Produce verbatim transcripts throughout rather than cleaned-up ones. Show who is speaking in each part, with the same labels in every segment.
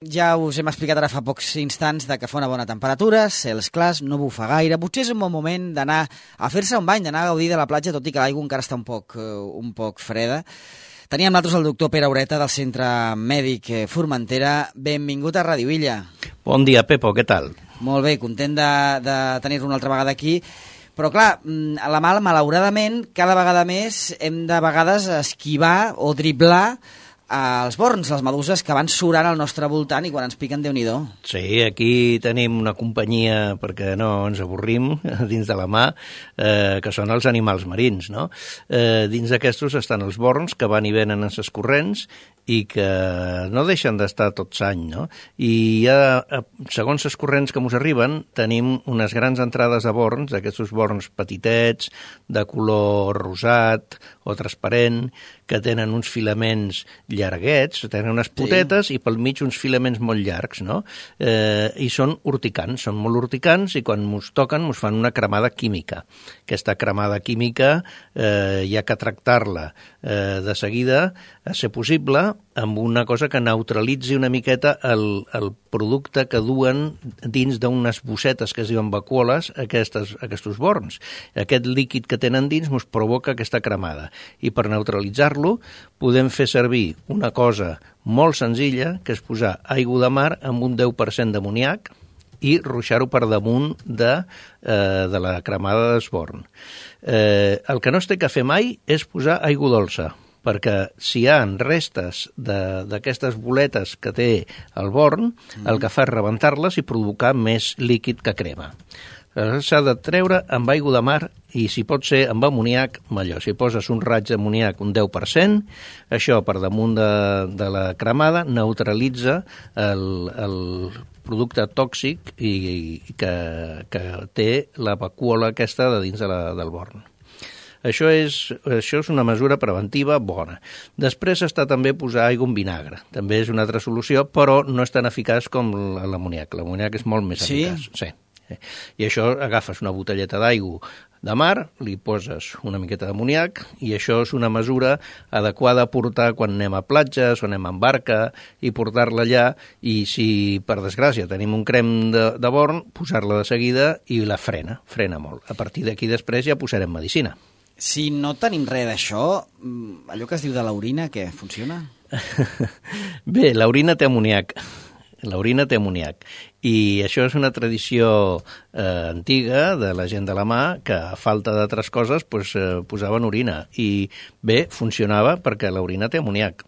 Speaker 1: Ja us hem explicat ara fa pocs instants de que fa una bona temperatura, cels clars, no bufa gaire. Potser és un bon moment d'anar a fer-se un bany, d'anar a gaudir de la platja, tot i que l'aigua encara està un poc, un poc freda. Teníem nosaltres el doctor Pere Aureta del Centre Mèdic Formentera. Benvingut a Ràdio Illa.
Speaker 2: Bon dia, Pepo, què tal?
Speaker 1: Molt bé, content de, de tenir-lo una altra vegada aquí. Però clar, a la mal, malauradament, cada vegada més hem de vegades esquivar o driblar els borns, les meduses que van surant al nostre voltant i quan ens piquen, Déu-n'hi-do.
Speaker 2: Sí, aquí tenim una companyia, perquè no ens avorrim, dins de la mà, eh, que són els animals marins, no? Eh, dins d'aquestos estan els borns, que van i venen en ses corrents i que no deixen d'estar tot l'any, no? I ja, segons les corrents que ens arriben, tenim unes grans entrades de borns, d'aquests borns petitets, de color rosat o transparent, que tenen uns filaments llarguets, tenen unes potetes sí. I pel mig uns filaments molt llargs, no? Eh, I són urticants, són molt urticants i quan ens toquen ens fan una cremada química. Aquesta cremada química eh, hi ha que tractar-la eh, de seguida, a ser possible, amb una cosa que neutralitzi una miqueta el, el producte que duen dins d'unes bossetes que es diuen vacuoles, aquestes, aquests borns. Aquest líquid que tenen dins ens provoca aquesta cremada. I per neutralitzar-lo podem fer servir una cosa molt senzilla, que és posar aigua de mar amb un deu per cent d'amoníac i ruixar-ho per damunt de, eh, de la cremada d'esborn. Eh, el que no es té que fer mai és posar aigua dolça, perquè si hi ha restes d'aquestes boletes que té el born, mm. el que fa és rebentar-les i provocar més líquid que crema. S'ha de treure amb aigua de mar i, si pot ser, amb amoníac, millor. Si poses un raig d'amoníac, un deu per cent, això per damunt de, de la cremada neutralitza el, el producte tòxic i, i que, que té la vacuola aquesta de dins de la, del born. Això és, això és una mesura preventiva bona. Després està també posar aigua amb vinagre. També és una altra solució, però no és tan eficaç com l'amoníac. L'amoníac és molt més
Speaker 1: sí?
Speaker 2: eficaç. Sí. I això agafes una botelleta d'aigua de mar, li poses una miqueta d'amoníac i això és una mesura adequada a portar quan anem a platges o anem en barca i portar-la allà i si, per desgràcia, tenim un crem de, de born, posar-la de seguida i la frena, frena molt. A partir d'aquí després ja posarem medicina.
Speaker 1: Si no tenim res d'això, allò que es diu de l'orina, què? Funciona?
Speaker 2: Bé, l'orina té amoníac. L'orina té amoníac. I això és una tradició eh, antiga de la gent de la mà que, a falta d'altres coses, pues, eh, posaven orina. I bé, funcionava perquè l'orina té amoníac.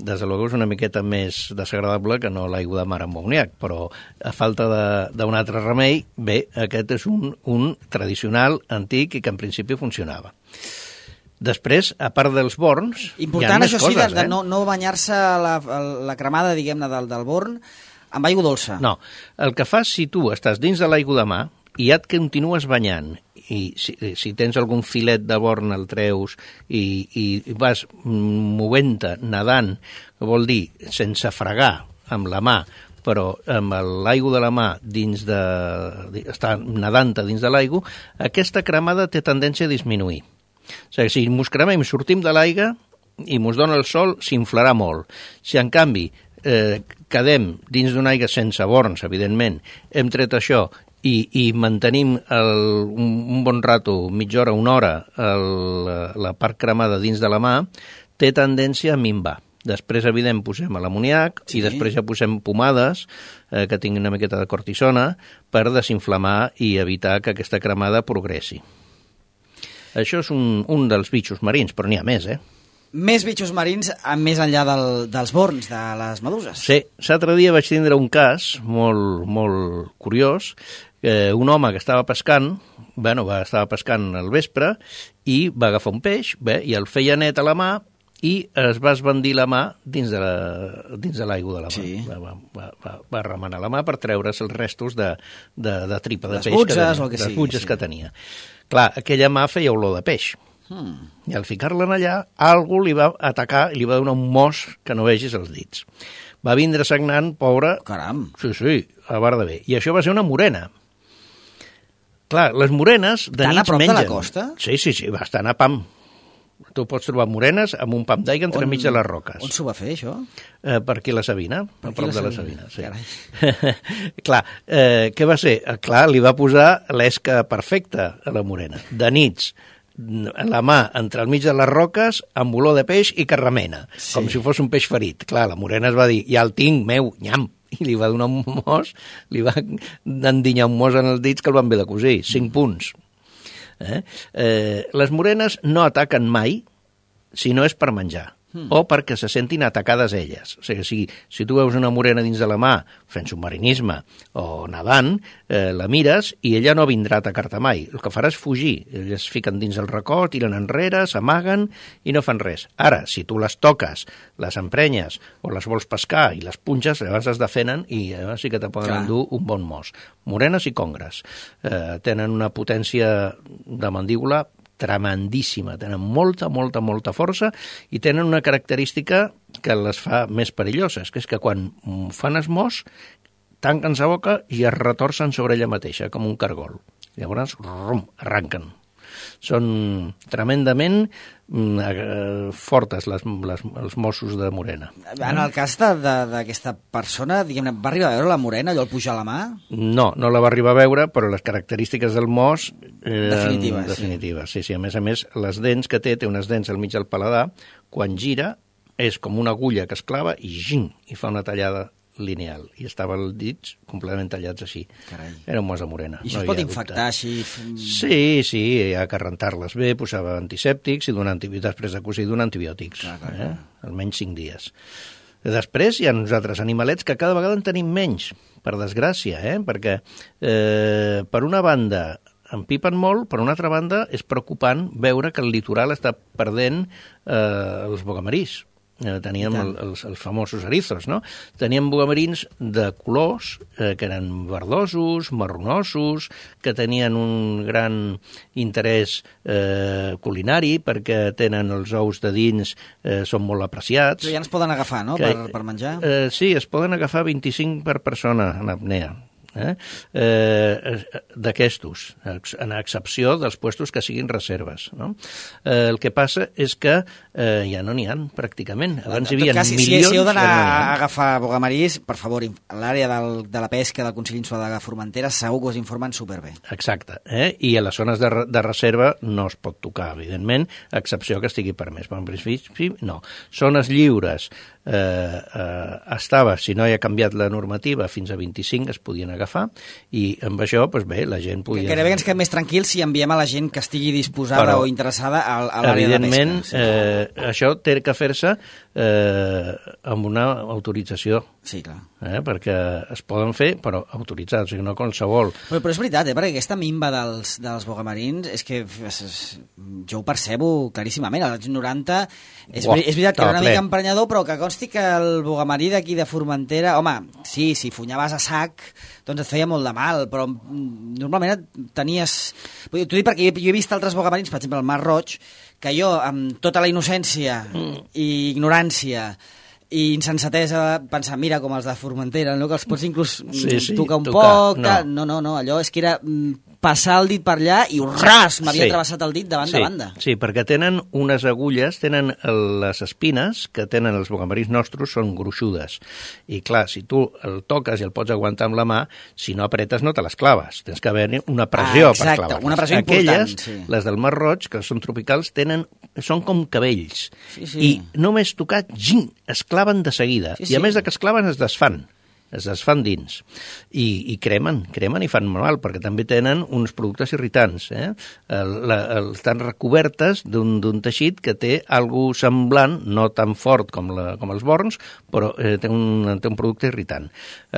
Speaker 2: Des de luego és una miqueta més desagradable que no l'aigua de mar amb amoníac, però a falta d'un altre remei, bé, aquest és un, un tradicional antic i que en principi funcionava. Després, a part dels borns,
Speaker 1: important,
Speaker 2: hi ha més
Speaker 1: això
Speaker 2: coses,
Speaker 1: sí, de, de
Speaker 2: eh?
Speaker 1: no, no banyar-se la, la cremada, diguem-ne, del, del born amb aigua dolça.
Speaker 2: No, el que fas si tu estàs dins de l'aigua de mar i ja et continues banyant i si, si tens algun filet de born el treus i, i vas movent-te, nedant, vol dir sense fregar amb la mà, però amb l'aigua de la mà dins de, està nedant dins de l'aigua, aquesta cremada té tendència a disminuir. O sigui, si mos cremem i sortim de l'aigua i mos dona el sol, s'inflarà molt. Si, en canvi, eh, quedem dins d'una aigua sense borns, evidentment, hem tret això i, i mantenim el, un, un bon rato, mitja hora, una hora, el, la part cremada dins de la mà, té tendència a minvar. Després, evident, posem l'amoníac sí. I després ja posem pomades eh, que tinguin una miqueta de cortisona per desinflamar i evitar que aquesta cremada progressi. Això és un, un dels bitxos marins, però n'hi ha més, eh?
Speaker 1: Més bitxos marins més enllà del, dels borns, de les meduses.
Speaker 2: Sí, l'altre dia vaig tindre un cas molt, molt curiós. Eh, un home que estava pescant, bueno, va, estava pescant al vespre i va agafar un peix, bé, i el feia net a la mà i es va esbandir la mà dins de la, dins de l'aigua de la mà.
Speaker 1: Sí.
Speaker 2: Va, va, va, va remenar la mà per treure's els restos de, de, de tripa de
Speaker 1: les
Speaker 2: peix
Speaker 1: butges,
Speaker 2: que tenia,
Speaker 1: o que
Speaker 2: les
Speaker 1: sigui,
Speaker 2: butges
Speaker 1: sí.
Speaker 2: que tenia. Clar, aquella mà feia olor de peix.
Speaker 1: Hmm.
Speaker 2: I al ficar-la allà, algú li va atacar i li va donar un mos que no vegis els dits. Va vindre sagnant, pobre...
Speaker 1: Caram!
Speaker 2: Sí, sí, a bar de bé. I això va ser una morena. Clar, les morenes de
Speaker 1: tan
Speaker 2: nits
Speaker 1: a prop
Speaker 2: mengen.
Speaker 1: De la costa?
Speaker 2: Sí, sí, sí, bastant a pam. Tu pots trobar morenes amb un pam d'aigua entremig de les roques.
Speaker 1: On s'ho va fer, això?
Speaker 2: Eh, per aquí la Sabina,
Speaker 1: per
Speaker 2: a prop
Speaker 1: la
Speaker 2: de la
Speaker 1: Sabina,
Speaker 2: Sabina. Sí. Clar, eh, què va ser? Eh, clar, li va posar l'esca perfecta a la morena. De nits, la mà entre el mig de les roques, amb olor de peix i que remena, sí. com si fos un peix ferit. Clar, la morena es va dir, ja el tinc, meu, nyam, i li va donar un mos, li va endinyar un mos en els dits que el van haver de cosir, cinc punts. Eh? Eh, les morenes no ataquen mai si no és per menjar. Hmm. O perquè se sentin atacades elles. O sigui, si, si tu veus una morena dins de la mà fent submarinisme o nedant, eh, la mires i ella no vindrà a atacar-te mai. El que farà és fugir. Elles es fiquen dins el racó, tiren enrere, s'amaguen i no fan res. Ara, si tu les toques, les emprenyes o les vols pescar i les punxes, llavors es defenen i llavors sí que te poden Clar. endur un bon mos. Morenes i congres. Eh, tenen una potència de mandíbula tremendíssima, tenen molta, molta, molta força i tenen una característica que les fa més perilloses, que és que quan fan esmós, tanquen la boca i es retorcen sobre ella mateixa, com un cargol. Llavors, rum, arranquen. Són tremendament eh, fortes les, les, els Mossos de Morena.
Speaker 1: En el cas d'aquesta persona, diguem-ne, va arribar a veure la Morena, allò el pujar a la mà?
Speaker 2: No, no la va arribar a veure, però les característiques del Mos... Eh,
Speaker 1: Definitives.
Speaker 2: Definitives, sí. sí, sí. A més a més, les dents que té, té unes dents al mig del paladar, quan gira és com una agulla que es clava i, ging, i fa una tallada lineal, i estava els dits completament tallats així.
Speaker 1: Carai.
Speaker 2: Era un mos de morena.
Speaker 1: I això
Speaker 2: no
Speaker 1: es pot infectar així?
Speaker 2: Sí, sí, hi ha que rentar-les bé, posava antisèptics i donar antibiòtics, després de cosir donar antibiòtics, clar, clar, clar. Eh? Almenys cinc dies. Després hi ha uns altres animalets que cada vegada en tenim menys, per desgràcia, eh? perquè eh, per una banda empipen molt, per una altra banda és preocupant veure que el litoral està perdent eh, els bogamarís. Eh, teníem el, els, els famosos erizos, no? Teníem bogamarins de colors eh, que eren verdosos, marronosos, que tenien un gran interès eh, culinari perquè tenen els ous de dins, eh, són molt apreciats.
Speaker 1: Però ja ens poden agafar, no?, que, per, per menjar?
Speaker 2: Eh, sí, es poden agafar vint-i-cinc per persona en apnea. Eh? Eh, d'aquestos, en excepció dels puestos que siguin reserves. No? Eh, el que passa és que eh, ja no n'hi ha, pràcticament. Abans hi havia
Speaker 1: cas,
Speaker 2: milions...
Speaker 1: Si, si heu d'anar
Speaker 2: no
Speaker 1: a agafar bogamarís, per favor, a l'àrea del, de la pesca del Consell Insular de Formentera segur que us informen superbé.
Speaker 2: Exacte. Eh? I a les zones de, de reserva no es pot tocar, evidentment, a excepció que estigui permès. Per en principi, no. Zones lliures eh, eh, estava, si no hi ha canviat la normativa, fins a vint-i-cinc es podien agafar, i amb això, doncs bé, la gent podia...
Speaker 1: Que gairebé ens quedem més tranquils si enviem a la gent que estigui disposada Però, o interessada a, a l'àrea de pesca.
Speaker 2: Evidentment, sí. eh, això té que fer-se eh, amb una autorització.
Speaker 1: Sí, clar.
Speaker 2: Eh, perquè es poden fer, però autoritzats, o sigui, no qualsevol.
Speaker 1: Però, però és veritat, eh, perquè aquesta minva dels, dels bogamarins és que és, és, jo ho percebo claríssimament. Als noranta és, Uah, és veritat que era una ple. mica emprenyador, però que consti que el bogamarí d'aquí de Formentera, home, sí, si funyaves a sac, doncs et feia molt de mal, però normalment tenies... T'ho dic perquè jo, jo he vist altres bogamarins, per exemple, el Mar Roig, que jo, amb tota la innocència mm. i ignorància i insensatesa, pensar, mira, com els de Formentera, no? Que els pots inclús
Speaker 2: sí, sí,
Speaker 1: tocar un
Speaker 2: tocar,
Speaker 1: poc...
Speaker 2: no.
Speaker 1: no, no, no, allò és que era passar el dit per allà i ras, m'havia
Speaker 2: sí.
Speaker 1: travessat el dit de banda
Speaker 2: sí.
Speaker 1: a banda.
Speaker 2: Sí, perquè tenen unes agulles, tenen les espines que tenen els bogamarins nostres, són gruixudes. I clar, si tu el toques i el pots aguantar amb la mà, si no apretes no te les claves. Tens que haver una pressió ah, exacte, per clavar-les.
Speaker 1: Una pressió
Speaker 2: Aquelles,
Speaker 1: important, sí.
Speaker 2: les del Mar Roig, que són tropicals, tenen, són com cabells.
Speaker 1: Sí, sí.
Speaker 2: I només tocat, ging, es claven de seguida. Sí, sí. I a més de que es claven, es desfan. es desfan dins i, i cremen, cremen i fan mal perquè també tenen uns productes irritants eh? el, la, el, estan recobertes d'un teixit que té algo semblant, no tan fort com, la, com els borns, però eh, té, un, té un producte irritant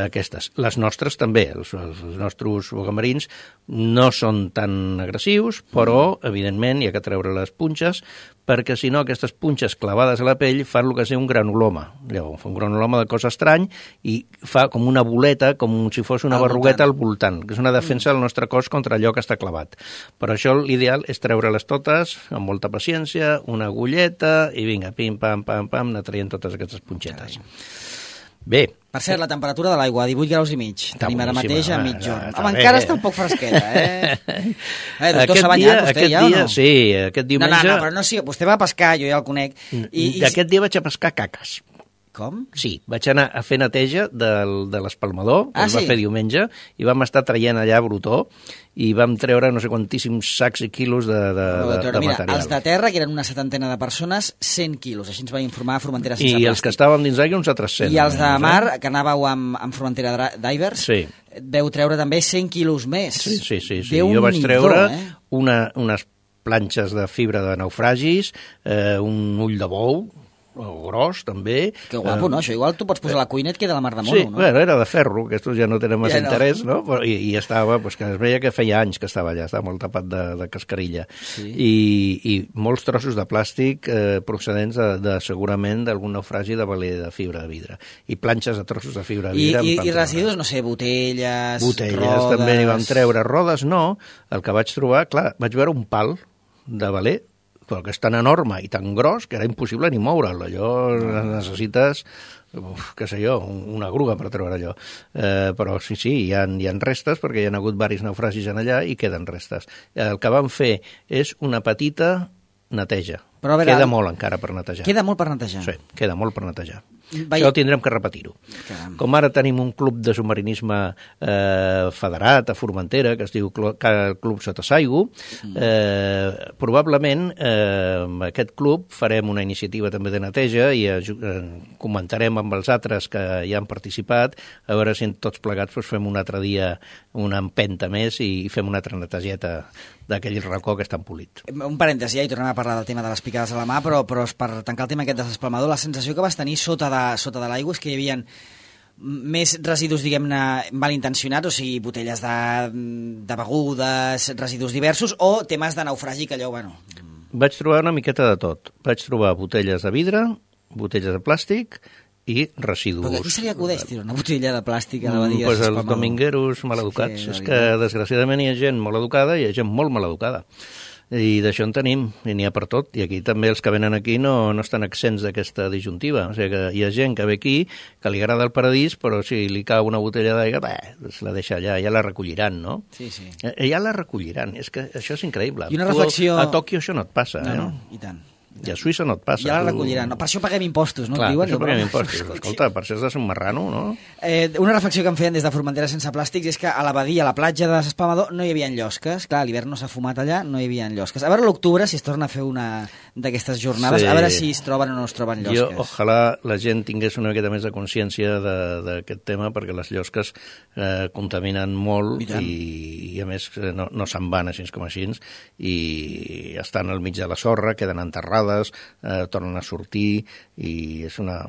Speaker 2: aquestes, les nostres també els, els nostres bogamarins no són tan agressius, però evidentment hi ha que treure les punxes perquè si no aquestes punxes clavades a la pell fan el que és un granuloma. Llavors, fa un granuloma de cosa estrany i fa com una boleta, com si fos una al berrugueta voltant. al voltant, que és una defensa del nostre cos contra allò que està clavat. Per això l'ideal és treure-les totes amb molta paciència, una agulleta i vinga, pim, pam, pam, pam, anar traient totes aquestes punxetes. Carai. Bé.
Speaker 1: Per cert, la temperatura de l'aigua, divuit graus i mig.
Speaker 2: Està
Speaker 1: Tenim ara mateix a mitjorn.
Speaker 2: Està
Speaker 1: Home,
Speaker 2: bé,
Speaker 1: encara
Speaker 2: eh?
Speaker 1: està un poc fresqueta, eh? eh doctor,
Speaker 2: Aquest
Speaker 1: s'ha banyat
Speaker 2: dia,
Speaker 1: vostè
Speaker 2: aquest
Speaker 1: ja
Speaker 2: dia,
Speaker 1: o no?
Speaker 2: Sí, aquest diumenge...
Speaker 1: No, no, no, però no, sí, vostè va a pescar, jo ja el conec.
Speaker 2: I, i aquest dia vaig a pescar caques.
Speaker 1: Com?
Speaker 2: Sí, vaig anar a fer neteja del, de l'espalmador, que
Speaker 1: ah,
Speaker 2: es va
Speaker 1: sí?
Speaker 2: fer diumenge, i vam estar traient allà brutó, i vam treure no sé quantíssims sacs i quilos de, de, de, de
Speaker 1: Mira,
Speaker 2: material.
Speaker 1: els de terra, que eren una setantena de persones, cent quilos, així ens va informar Formentera Sense
Speaker 2: I
Speaker 1: Plàstic.
Speaker 2: els que estàvem dins d'aigua, uns altres cent.
Speaker 1: I els de
Speaker 2: eh?
Speaker 1: mar, que anàveu amb, amb Formentera Divers,
Speaker 2: sí.
Speaker 1: veu treure també cent quilos més.
Speaker 2: Sí, sí, sí. sí. Jo vaig treure eh? una, unes planxes de fibra de naufragis, eh, un ull de bou, o gros, també.
Speaker 1: Que guapo, no? Això igual tu pots posar a la cuina i et queda la mar de mono,
Speaker 2: sí,
Speaker 1: no?
Speaker 2: bueno, era de ferro, que estos ja no tenen massa
Speaker 1: ja no.
Speaker 2: interès, no? Però, i, I estava, pues, que es veia que feia anys que estava allà, estava molt tapat de, de cascarilla.
Speaker 1: Sí.
Speaker 2: I, I molts trossos de plàstic eh, procedents de, de segurament d'algun naufragi de valer de fibra de vidre. I planxes de trossos de fibra de
Speaker 1: I,
Speaker 2: vidre.
Speaker 1: i, i residus, no sé, botelles,
Speaker 2: Botelles,
Speaker 1: rodes...
Speaker 2: també n'hi vam treure. Rodes no, el que vaig trobar, clar, vaig veure un pal de valer, però que és tan enorme i tan gros que era impossible ni moure'l. Allò necessites, uf, què sé jo, una grua per treure allò. Eh, però sí, sí, hi ha, hi ha restes, perquè hi ha hagut diversos naufragis en allà i queden restes. El que vam fer és una petita neteja.
Speaker 1: Però a veure,
Speaker 2: queda molt encara per netejar.
Speaker 1: Queda molt per netejar?
Speaker 2: Sí, queda molt per netejar.
Speaker 1: Vai...
Speaker 2: Això tindrem que repetir-ho.
Speaker 1: Caram.
Speaker 2: Com ara tenim un club de submarinisme eh, federat a Formentera, que es diu Club Sotasaigu, eh, probablement eh, amb aquest club farem una iniciativa també de neteja i eh, comentarem amb els altres que hi han participat, a veure si tots plegats doncs, fem un altre dia una empenta més i fem una altra netejeta d'aquell racó que està empolit.
Speaker 1: Un parèntesi, ja, i tornem a parlar del tema de les picades a la mà, però, però per tancar el tema aquest de l'espalmador, la sensació que vas tenir sota de, sota de l'aigua és que hi havia més residus, diguem-ne, malintencionats, o sigui, botelles de, de begudes, residus diversos, o temes de naufragi que allò, bueno...
Speaker 2: Vaig trobar una miqueta de tot. Vaig trobar botelles de vidre, botelles de plàstic i residus.
Speaker 1: Però aquí se li acudeix tirar una botella de plàstic a la badia?
Speaker 2: Mm, pues els domingueros maleducats. Sí, és que, desgraciadament, hi ha gent molt educada i hi ha gent molt maleducada. I d'això en tenim, i n'hi ha per tot. I aquí també els que venen aquí no, no estan exents d'aquesta disjuntiva. O sigui que hi ha gent que ve aquí, que li agrada el paradís, però si li cau una botella d'aigua, bé, doncs la deixa allà, ja la recolliran, no?
Speaker 1: Sí, sí.
Speaker 2: Ja la recolliran, és que això és increïble.
Speaker 1: I una reflexió...
Speaker 2: Tu, a Tòquio això no et passa,
Speaker 1: no,
Speaker 2: eh?
Speaker 1: No, i tant.
Speaker 2: I a Suïssa no et passa.
Speaker 1: Ja la recolliran. No, per això paguem impostos, no?
Speaker 2: Clar,
Speaker 1: Diuen,
Speaker 2: per això paguem
Speaker 1: no?
Speaker 2: impostos. Escolta, per això has de ser un marrano, no?
Speaker 1: Eh, una reflexió que em feien des de Formentera Sense Plàstics és que a la badia, a la platja de l'Espalmador, no hi havia llosques. Clar, l'hivern no s'ha fumat allà, no hi havia llosques. A veure l'octubre, si es torna a fer una d'aquestes jornades, sí. A veure si es troben o no es troben llosques.
Speaker 2: Jo, ojalà la gent tingués una miqueta més de consciència d'aquest tema, perquè les llosques eh, contaminen molt i, i, a més, no, no se'n van així com així, i estan al mig de la sorra, queden enterrades, eh, tornen a sortir, i és una...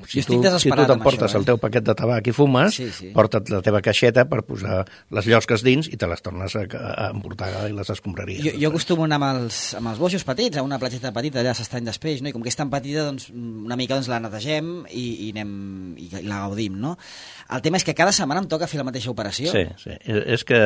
Speaker 2: Si tu, si tu t'emportes això, eh? el teu paquet de tabac i fumes, sí, sí. Porta't la teva caixeta per posar les llosques dins i te les tornes a, a emportar i les escombraries.
Speaker 1: Jo, jo acostumo anar amb els, amb els boixos petits, a una platgeta petita allà a s'estany d'Espeix, no? I com que és tan petita, doncs, una mica doncs, la netegem i, i, anem, i, i la gaudim, no? El tema és que cada setmana em toca fer la mateixa operació.
Speaker 2: Sí, sí. És que...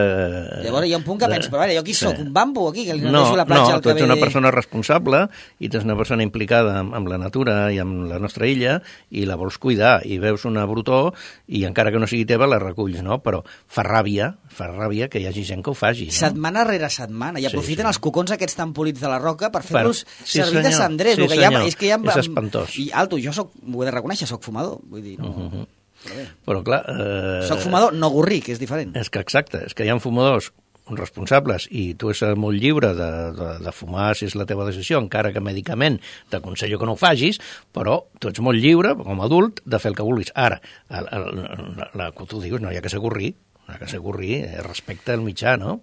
Speaker 1: Llavors hi ha un punt que penso, però a veure, jo qui sóc? Sí. Un bambo aquí? Que li
Speaker 2: no,
Speaker 1: la platja
Speaker 2: no,
Speaker 1: al
Speaker 2: tu ets
Speaker 1: cabell...
Speaker 2: una persona responsable i tu ets una persona implicada amb, amb la natura i amb la nostra illa i la vols cuidar i veus una brutó i encara que no sigui teva la reculls, no? Però fa ràbia, fa ràbia que hi hagi gent que ho faci. No?
Speaker 1: Setmana rere setmana i aprofiten sí, sí. els cocons aquests tan polits de la roca per fer-los
Speaker 2: sí,
Speaker 1: servir de cendrers.
Speaker 2: Sí,
Speaker 1: que
Speaker 2: senyor.
Speaker 1: Ja, és que ja...
Speaker 2: És espantós.
Speaker 1: I alto, jo soc, ho he de reconèixer, soc fumador. Vull dir, no... Uh -huh.
Speaker 2: Però, bé. Però clar... Eh...
Speaker 1: Soc fumador, no gorrí, que és diferent.
Speaker 2: És que exacte, és que hi ha fumadors responsables i tu ets molt lliure de, de, de fumar si és la teva decisió, encara que mèdicament t'aconsello que no ho facis, però tu ets molt lliure, com a adult, de fer el que vulguis. Ara, el, el, la, la, que tu dius, no hi ha que ser gorrí, no hi ha que ser gorrí, eh, respecte al mitjà, no?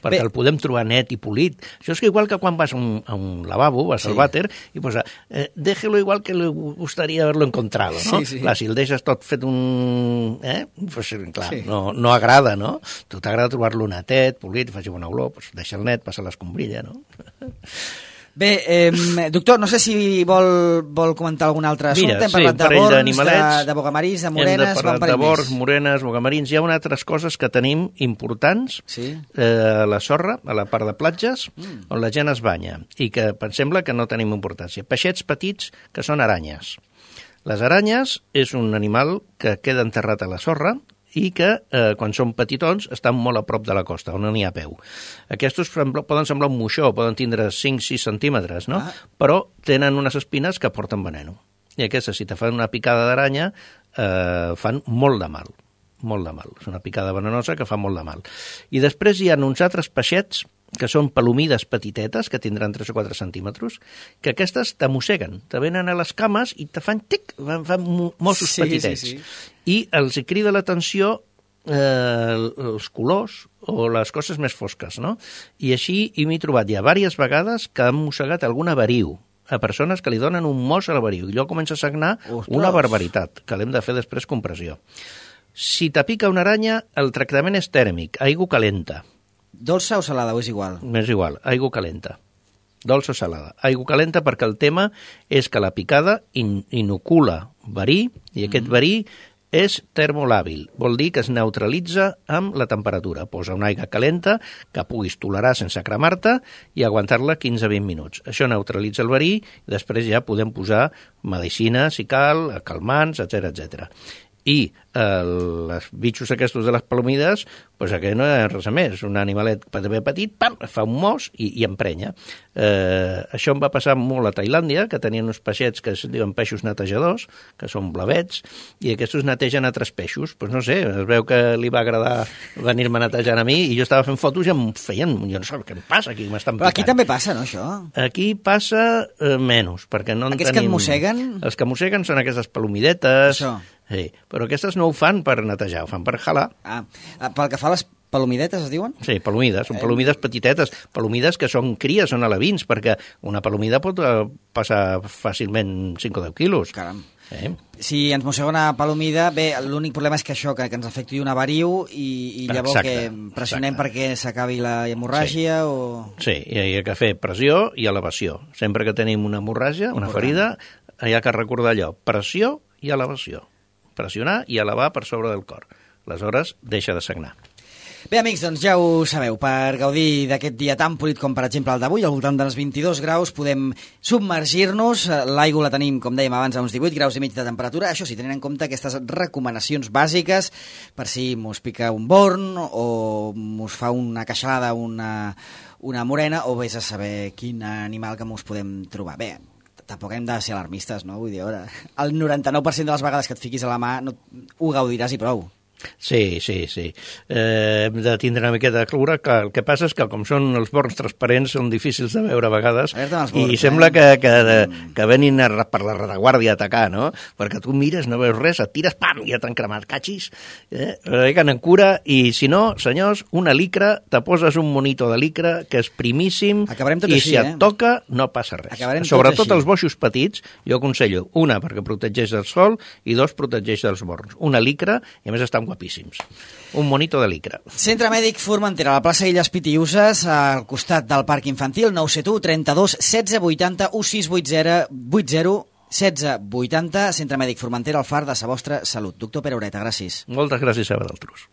Speaker 2: Perquè Bé. el podem trobar net i polit. Això és que igual que quan vas a un, a un lavabo, vas sí. al vàter, i posa, eh, déjelo igual que le gustaría haberlo encontrado, no?
Speaker 1: Sí, sí.
Speaker 2: Clar, si el deixes tot fet un... Eh? Pues, clar, sí. no, no agrada, no? Tu t'agrada trobar-lo netet, polit, faci bona olor, pues deixa el net, passa l'escombrilla, no?
Speaker 1: Bé, eh, doctor, no sé si vol, vol comentar algun altre assumpte.
Speaker 2: Mira,
Speaker 1: hem parlat
Speaker 2: sí,
Speaker 1: de borns, de,
Speaker 2: de
Speaker 1: bogamarins, de morenes...
Speaker 2: Hem de parlar de borns, morenes, bogamarins. Hi ha unes altres coses que tenim importants
Speaker 1: sí?
Speaker 2: eh, a la sorra, a la part de platges, mm. on la gent es banya, i que em sembla que no tenim importància. Peixets petits que són aranyes. Les aranyes és un animal que queda enterrat a la sorra i que, eh, quan són petitons, estan molt a prop de la costa, on no n'hi ha peu. Aquests poden semblar un moixó, poden tindre cinc sis centímetres, no? Ah. Però tenen unes espines que porten veneno. I aquestes, si te fan una picada d'aranya, eh, fan molt de mal. Molt de mal. És una picada venenosa que fa molt de mal. I després hi ha uns altres peixets que són palomides petitetes, que tindran tres o quatre centímetres, que aquestes te mosseguen, te venen a les cames i te fan tic, fan, fan mossos sí, petitets. Sí, sí. I els crida l'atenció eh, els colors o les coses més fosques, no? I així hi m'he trobat ja diverses vegades que han mossegat alguna veriu a persones que li donen un mos a la veriu. I allò comença a sagnar Ostres. Una barbaritat, que l'hem de fer després compressió. Si te pica una aranya, el tractament és tèrmic, aigua calenta.
Speaker 1: Dolça o salada, o és igual?
Speaker 2: És igual, aigua calenta. Dolça o salada. Aigua calenta perquè el tema és que la picada in inocula verí, i aquest mm. verí és termolàbil. Vol dir que es neutralitza amb la temperatura. Posa una aigua calenta que puguis tolerar sense cremar-te i aguantar-la quinze a vint minuts. Això neutralitza el verí i després ja podem posar medicina, si cal, calmants, etcètera, etcètera. I eh, els bitxos aquests de les palomides, doncs aquest no és res més. Un animalet també petit, pam, fa un mos i, i emprenya. Eh, això em va passar molt a Tailàndia, que tenien uns peixets que es diuen peixos netejadors, que són blavets, i aquests netegen altres peixos. Doncs no sé, es veu que li va agradar venir-me netejant a mi, i jo estava fent fotos i em feien... Jo no sé què em passa aquí, m'estan picant.
Speaker 1: Però aquí també passa, no, això?
Speaker 2: Aquí passa eh, menys, perquè no en
Speaker 1: Aquests
Speaker 2: tenim...
Speaker 1: que et mosseguen?
Speaker 2: Els que mosseguen són aquestes palomidetes...
Speaker 1: Això.
Speaker 2: Sí, però aquestes no ho fan per netejar, ho fan per jalar.
Speaker 1: Ah, pel que fa a les palomidetes, es diuen?
Speaker 2: Sí, palomides, són palomides petitetes, palomides que són cries, són alevins, perquè una palomida pot passar fàcilment cinc o deu quilos.
Speaker 1: Caram.
Speaker 2: Eh?
Speaker 1: Si ens mossega una palomida, bé, l'únic problema és que això, que, que ens afecti una veriu i, i llavors exacte, que pressionem exacte. Perquè s'acabi la hemorràgia sí. o...
Speaker 2: Sí, i hi ha que fer pressió i elevació. Sempre que tenim una hemorràgia, una ferida, hi ha que recordar allò, pressió i elevació. Pressionar i elevar per sobre del cor. Aleshores, deixa de sagnar.
Speaker 1: Bé, amics, doncs ja ho sabeu, per gaudir d'aquest dia tan polit com, per exemple, el d'avui, al voltant dels vint-i-dos graus, podem submergir-nos. L'aigua la tenim, com dèiem abans, a uns divuit graus i mig de temperatura. Això sí, tenint en compte aquestes recomanacions bàsiques per si mos pica un born o mos fa una queixalada, una, una morena, o vés a saber quin animal que mos podem trobar. Bé, tampoc hem de ser alarmistes, no? Vull dir, ara, el noranta-nou per cent de les vegades que et fiquis a la mà no, ho gaudiràs i prou.
Speaker 2: Sí, sí, sí. Eh, hem de tindre una miqueta de cura, que el que passa és que com són els borns transparents són difícils de veure a vegades borns, i sembla eh? que, que, mm. que venin a, per la retaguardia a atacar, no? Perquè tu mires, no veus res, et tires, pam, i ja t'han cremat, catxis. Eh? Reguen en cura i, si no, senyors, una licra, te poses un monito de licra que és primíssim i
Speaker 1: així,
Speaker 2: si et
Speaker 1: eh?
Speaker 2: toca no passa res. Acabarem Sobretot els boixos petits, jo aconsello una perquè protegeix del sol i dos protegeix dels borns. Una licra, i a més estan guapíssims. Un monito de licra.
Speaker 1: Centre Mèdic Formentera, a la plaça Illes Pitiuses, al costat del Parc Infantil, nou set u, trenta-dos, setze, vuitanta, sis vuit zero, setze, vuitanta, Centre Mèdic Formentera, al far de sa vostra salut. Doctor Pere Ureta, gràcies.
Speaker 2: Moltes gràcies a vosaltres.